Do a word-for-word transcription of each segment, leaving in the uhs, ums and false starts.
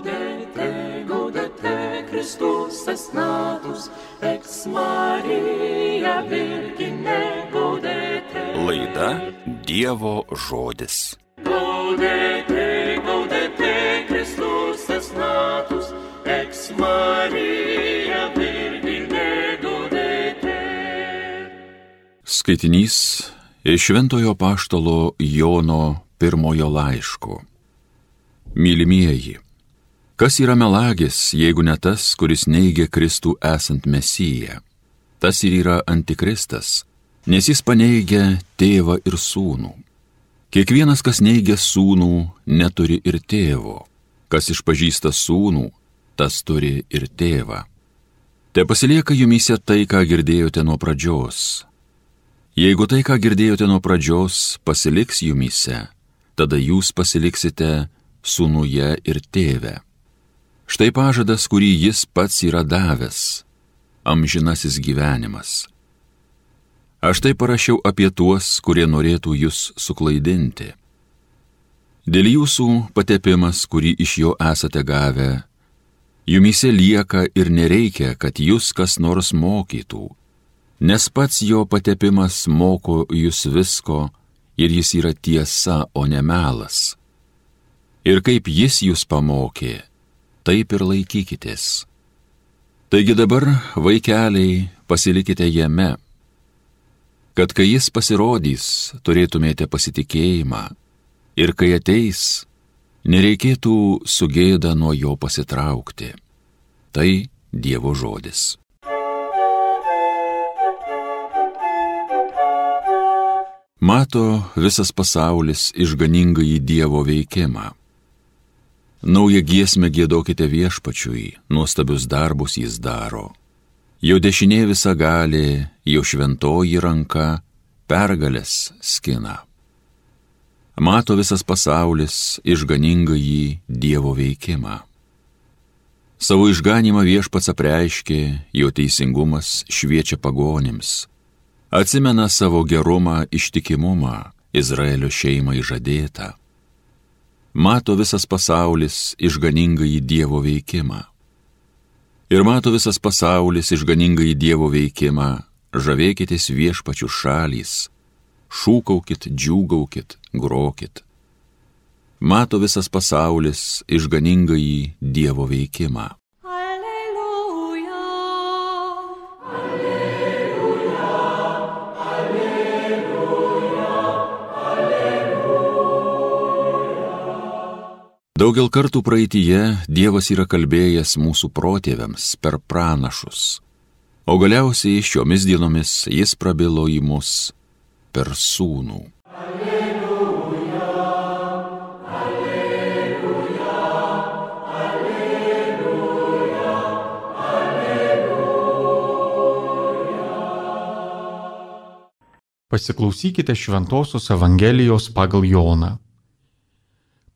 Gaudete, gaudete, Christus es natus, ex Maria Virgine, gaudete. Laida Dievo žodis. Gaudete, gaudete, Christus es natus, ex Maria Virgine, gaudete. Skaitinys iš Šventojo Apaštalo Jono pirmojo laiško. Mylimieji, kas yra melagis, jeigu ne tas, kuris neigia Kristų esant Mesiją? Tas ir yra antikristas, nes jis paneigia tėvą ir sūnų. Kiekvienas, kas neigia sūnų, neturi ir tėvo. Kas išpažįsta sūnų, tas turi ir tėvą. Te pasilieka jumyse tai, ką girdėjote nuo pradžios. Jeigu tai, ką girdėjote nuo pradžios, pasiliks jumyse, tada jūs pasiliksite sūnuje ir tėve. Štai pažadas, kurį jis pats yra davęs, amžinasis gyvenimas. Aš tai parašiau apie tuos, kurie norėtų jūs suklaidinti. Dėl jūsų patepimas, kurį iš jo esate gavę, jumyse lieka ir nereikia, kad jūs kas nors mokytų, nes pats jo patepimas moko jūs visko ir jis yra tiesa, o ne melas. Ir kaip jis jūs pamokė, taip ir laikykitės. Taigi dabar, vaikeliai, pasilikite jame, kad kai jis pasirodys, turėtumėte pasitikėjimą, ir kai ateis, nereikėtų su gėda nuo jo pasitraukti. Tai Dievo žodis. Mato visas pasaulis išganingąjį Dievo veikimą. Naują giesmę giedokite Viešpačiui, nuostabius darbus jis daro. Jo dešinė visa gali, jo šventoji ranka pergalės skina. Mato visas pasaulis išganingąjį Dievo veikimą. Savo išganymą Viešpats apreiškė, jo teisingumas šviečia pagonims. Atsimena savo gerumą, ištikimumą, Izraelio šeimai žadėtą. Mato visas pasaulis išganingąjį Dievo veikimą. Ir mato visas pasaulis išganingąjį Dievo veikimą, žavėkitės Viešpačių šalys, šūkaukit, džiūgaukit, grokit. Mato visas pasaulis išganingąjį Dievo veikimą. Daugel kartų praeityje Dievas yra kalbėjęs mūsų protėviams per pranašus, o galiausiai šiomis dienomis jis prabilo į mus per sūnų. Alleluja, alleluja, alleluja, alleluja. Pasiklausykite Šventosios Evangelijos pagal Joną.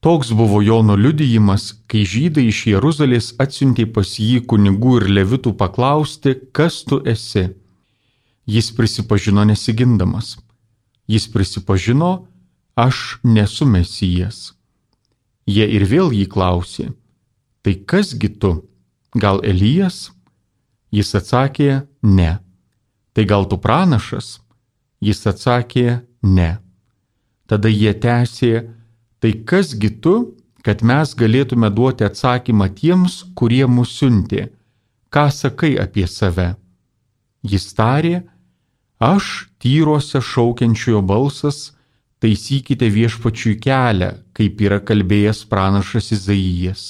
Toks buvo Jono liudijimas, kai žydai iš Jeruzalės atsiuntė pas jį kunigų ir levitų paklausti, kas tu esi. Jis prisipažino nesigindamas. Jis prisipažino, aš nesu Mesijas. Jie ir vėl jį klausė, tai kasgi tu, gal Elijas? Jis atsakė, ne. Tai gal tu pranašas? Jis atsakė, ne. Tada jie tęsė, tai kasgi tu, kad mes galėtume duoti atsakymą tiems, kurie mus siuntė? Ką sakai apie save? Jis tarė, aš tyruose šaukiančiojo balsas, taisykite Viešpačiui kelią, kaip yra kalbėjęs pranašas Izaijas.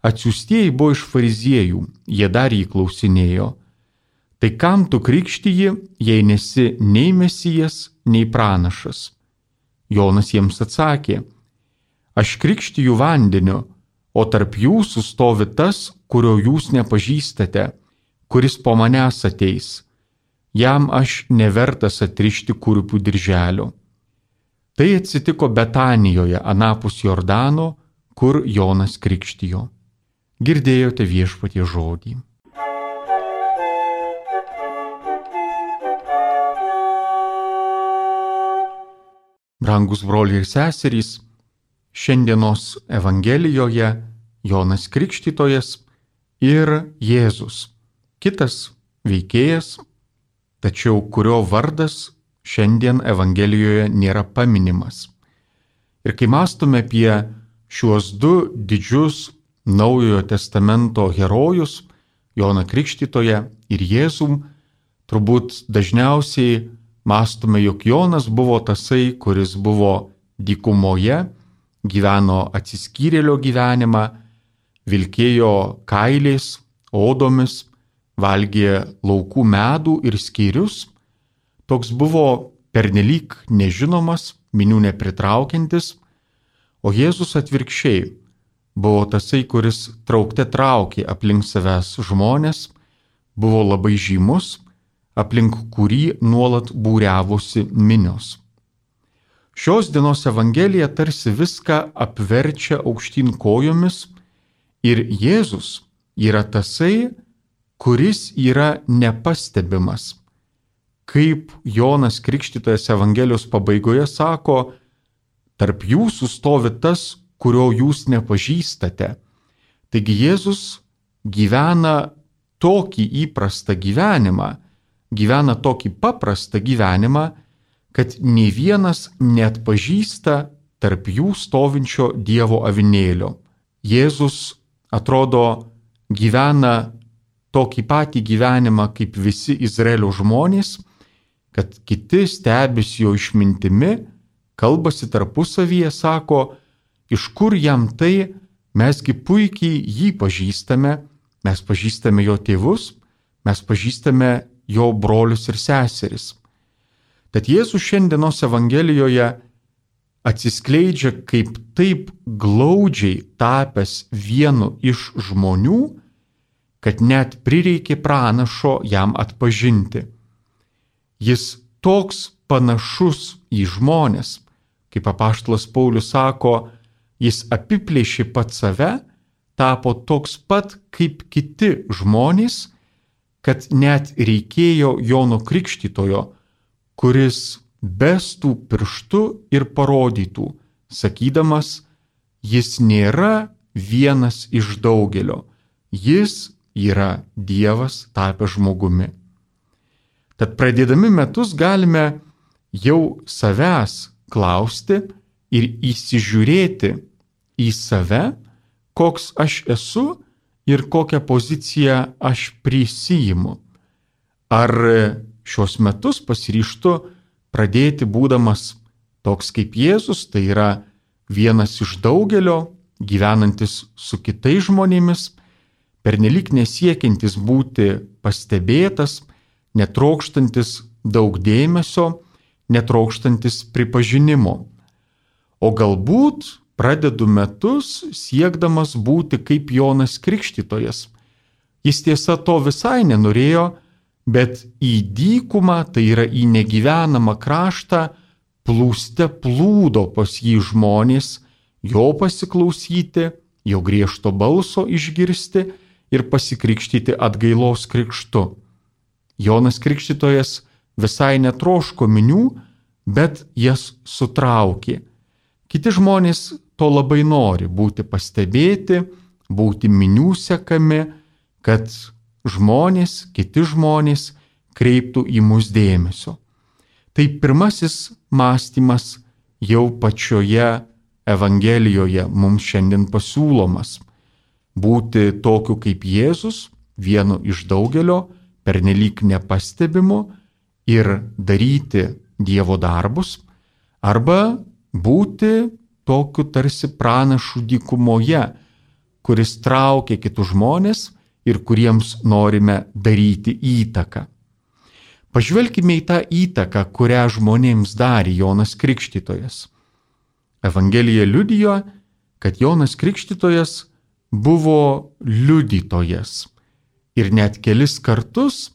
Atsiųstieji buvo iš fariziejų, jie dar jį klausinėjo. Tai kam tu krikštiji, jei nesi nei Mesijas, nei pranašas? Jonas jiems atsakė, aš krikštiju vandeniu, o tarp jūsų stovi tas, kurio jūs nepažįstate, kuris po manęs ateis. Jam aš nevertas atrišti kurpių dirželio. Tai atsitiko Betanijoje, anapus Jordano, kur Jonas krikštijo. Girdėjote Viešpaties žodį. Brangus broliai ir seserys, šiandienos Evangelijoje Jonas Krikštytojas ir Jėzus, kitas veikėjas, tačiau kurio vardas šiandien Evangelijoje nėra paminimas. Ir kai mąstome apie šiuos du didžius Naujojo testamento herojus, Joną Krikštytoją ir Jėzų, turbūt dažniausiai mąstome, jog Jonas buvo tasai, kuris buvo dykumoje, gyveno atsiskyrėlio gyvenimą, vilkėjo kailiais, odomis, valgė laukų medų ir skyrius. Toks buvo pernelyg nežinomas, minių nepritraukiantis, o Jėzus atvirkščiai buvo tasai, kuris traukte traukė aplink savęs žmonės, buvo labai žymus, aplink kurį nuolat būriavosi minios. Šios dienos Evangelija tarsi viską apverčia aukštyn kojomis ir Jėzus yra tasai, kuris yra nepastebimas. Kaip Jonas Krikštytojas Evangelijos pabaigoje sako, tarp jūsų stovi tas, kurio jūs nepažįstate. Taigi Jėzus gyvena tokį įprastą gyvenimą, gyvena tokį paprastą gyvenimą, kad nei vienas neatpažįsta tarp jų stovinčio Dievo avinėlio. Jėzus, atrodo, gyvena tokį patį gyvenimą kaip visi Izraelio žmonės, kad kiti stebisi jo išmintimi, kalbasi tarpusavyje, sako, iš kur jam tai, mesgi puikiai jį pažįstame, mes pažįstame jo tėvus, mes pažįstame jo brolius ir seseris. Tad Jėzus šiandienos Evangelijoje atsiskleidžia kaip taip glaudžiai tapęs vienu iš žmonių, kad net prireikė pranašo jam atpažinti. Jis toks panašus į žmones, kaip apaštalas Paulius sako, jis apiplėšė pats save, tapo toks pat kaip kiti žmonės, kad net reikėjo Jono Krikštytojo, kuris bestų pirštu ir parodytų, sakydamas, jis nėra vienas iš daugelio, jis yra Dievas tapęs žmogumi. Tad pradėdami metus galime jau savęs klausti ir įsižiūrėti į save, koks aš esu ir kokią poziciją aš prisiimu. Ar šios metus pasiryžtu pradėti būdamas toks kaip Jėzus, tai yra vienas iš daugelio, gyvenantis su kitais žmonėmis, pernelyg nesiekiantis būti pastebėtas, netrokštantis daug dėmesio, netrokštantis pripažinimo. O galbūt pradedu metus siekdamas būti kaip Jonas Krikštytojas. Jis tiesa to visai nenorėjo, bet į dykumą, tai yra į negyvenamą kraštą, plūste plūdo pas jį žmonės, jo pasiklausyti, jo griežto balso išgirsti ir pasikrikštyti atgailos krikštu. Jonas Krikštytojas visai netroško minių, bet jas sutraukė. Kiti žmonės to labai nori – būti pastebėti, būti minių sekami, kad žmonės, kiti žmonės kreiptų į mus dėmesio. Tai pirmasis mąstymas jau pačioje Evangelijoje mums šiandien pasiūlomas. Būti tokiu kaip Jėzus, vienu iš daugelio, pernelyg nepastebimu ir daryti Dievo darbus, arba būti tokiu tarsi pranašu dykumoje, kuris traukia kitus žmonės ir kuriems norime daryti įtaką. Pažvelkime į tą įtaką, kurią žmonėms darė Jonas Krikštytojas. Evangelija liudijo, kad Jonas Krikštytojas buvo liudytojas. Ir net kelis kartus,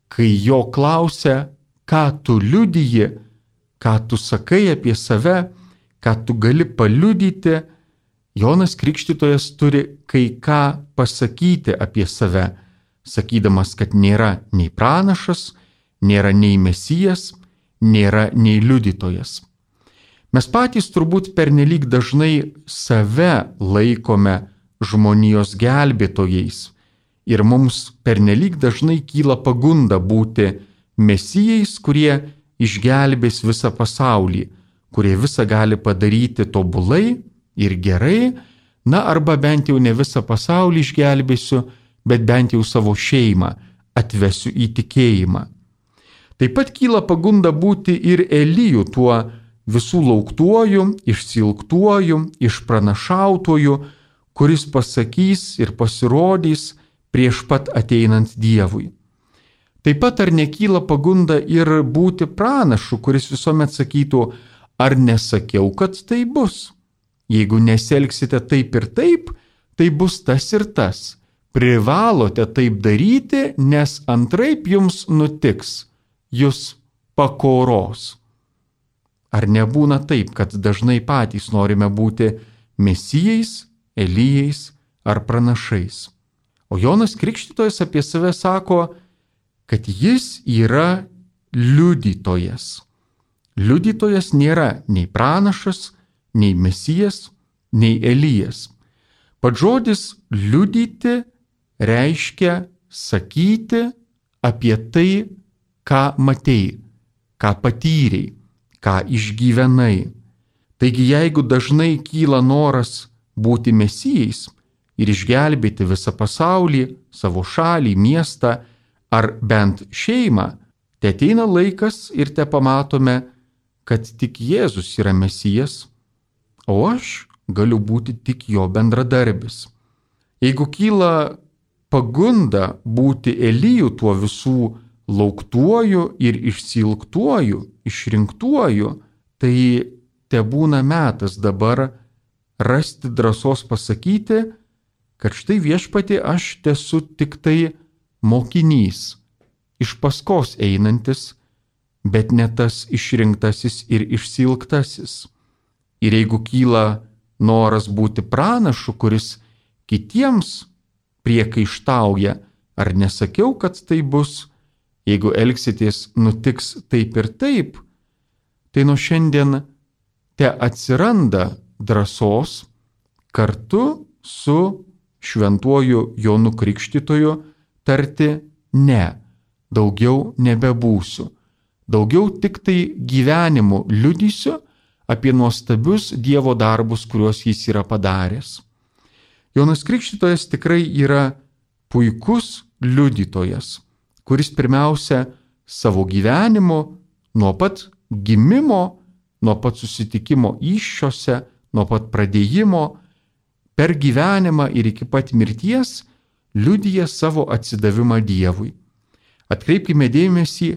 kai jo klausia, ką tu liudiji, ką tu sakai apie save, ką tu gali paliudyti, Jonas Krikštytojas turi kai ką pasakyti apie save, sakydamas, kad nėra nei pranašas, nėra nei mesijas, nėra nei liudytojas. Mes patys turbūt pernelyg dažnai save laikome žmonijos gelbėtojais. Ir mums pernelyg dažnai kyla pagunda būti mesijais, kurie išgelbės visą pasaulį, kurie visą gali padaryti tobulai ir gerai, na arba bent jau ne visą pasaulį išgelbėsiu, bet bent jau savo šeimą atvesiu į tikėjimą. Taip pat kyla pagunda būti ir Eliju, tuo visų lauktuoju, išsilgtuoju, išpranašautuoju, kuris pasakys ir pasirodys prieš pat ateinant Dievui. Taip pat ar nekyla pagunda ir būti pranašu, kuris visuomet sakytų, ar nesakiau, kad tai bus. Jeigu nesielgsite taip ir taip, tai bus tas ir tas. Privalote taip daryti, nes antraip jums nutiks, jūs pakoros. Ar nebūna taip, kad dažnai patys norime būti mesijais, Elijais ar pranašais? O Jonas Krikštytojas apie save sako, kad jis yra liudytojas. Liudytojas nėra nei pranašas, nei mesijas, nei Elijas. Pats žodis liudyti reiškia sakyti apie tai, ką matei, ką patyrei, ką išgyvenai. Taigi jeigu dažnai kyla noras būti mesijais ir išgelbėti visą pasaulį, savo šalį, miestą ar bent šeimą, te ateina laikas ir te pamatome, kad tik Jėzus yra mesijas, o aš galiu būti tik jo bendradarbis. Jeigu kyla pagunda būti Eliju, tuo visų lauktuoju ir išsilgtuoju, išrinktuoju, tai te būna metas dabar rasti drąsos pasakyti, kad štai viešpatie aš tesu tik tai mokinys, iš paskos einantis, bet ne tas išrinktasis ir išsilgtasis. Ir jeigu kyla noras būti pranašu, kuris kitiems priekaištauja, ar nesakiau, kad tai bus, jeigu elgsitės nutiks taip ir taip, tai nuo šiandien te atsiranda drąsos kartu su šventuoju Jonu Krikštytoju tarti ne, daugiau nebebūsiu, daugiau tik tai gyvenimu liudysiu apie nuostabius Dievo darbus, kuriuos jis yra padaręs. Jonas Krikštytojas tikrai yra puikus liudytojas, kuris pirmiausia savo gyvenimu nuo pat gimimo, nuo pat susitikimo įsčiose, nuo pat pradėjimo, per gyvenimą ir iki pat mirties liudija savo atsidavimą Dievui. Atkreipkime dėmesį,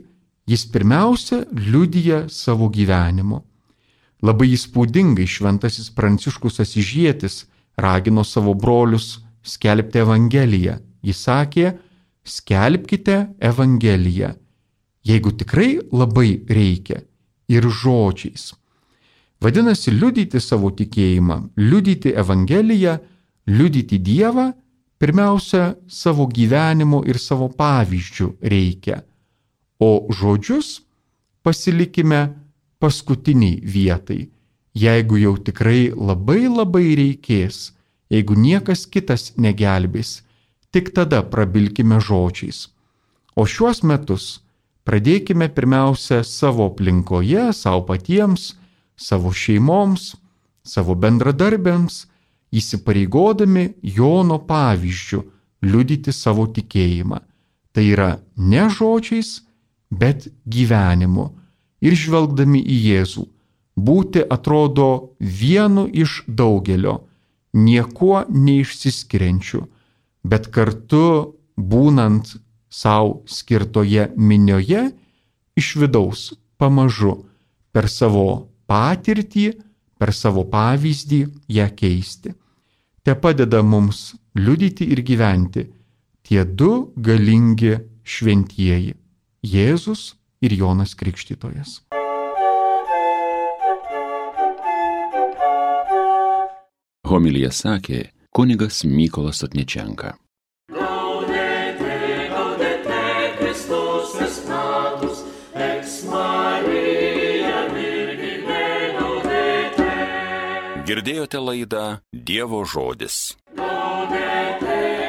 jis pirmiausia liudija savo gyvenimu. Labai įspūdingai šventasis Pranciškus Asyžietis ragino savo brolius skelbti Evangeliją. Jis sakė, skelbkite Evangeliją, jeigu tikrai labai reikia, ir žodžiais. Vadinasi, liudyti savo tikėjimą, liudyti Evangeliją, liudyti Dievą, pirmiausia, savo gyvenimu ir savo pavyzdžių reikia, o žodžius pasilikime paskutiniai vietai, jeigu jau tikrai labai labai reikės, jeigu niekas kitas negelbės, tik tada prabilkime žodžiais. O šiuos metus pradėkime pirmiausia savo aplinkoje, savo patiems, savo šeimoms, savo bendradarbiams, įsipareigodami Jono pavyzdžiu liudyti savo tikėjimą. Tai yra ne žodžiais, bet gyvenimu. Ir žvelgdami į Jėzų, būti atrodo vienu iš daugelio, niekuo neišsiskiriančiu, bet kartu būnant savo skirtoje minioje, iš vidaus pamažu per savo patirtį, per savo pavyzdį ją keisti. Te padeda mums liudyti ir gyventi tie du galingi šventieji – Jėzus ir Jonas Krikštytojas. Homilija sakė kunigas Mykolas Otničenka. Gaudete, gaudete, Kristus es natus, ex Maria Virgine gaudete. Girdėjote laidą Dievo žodis. Gaudete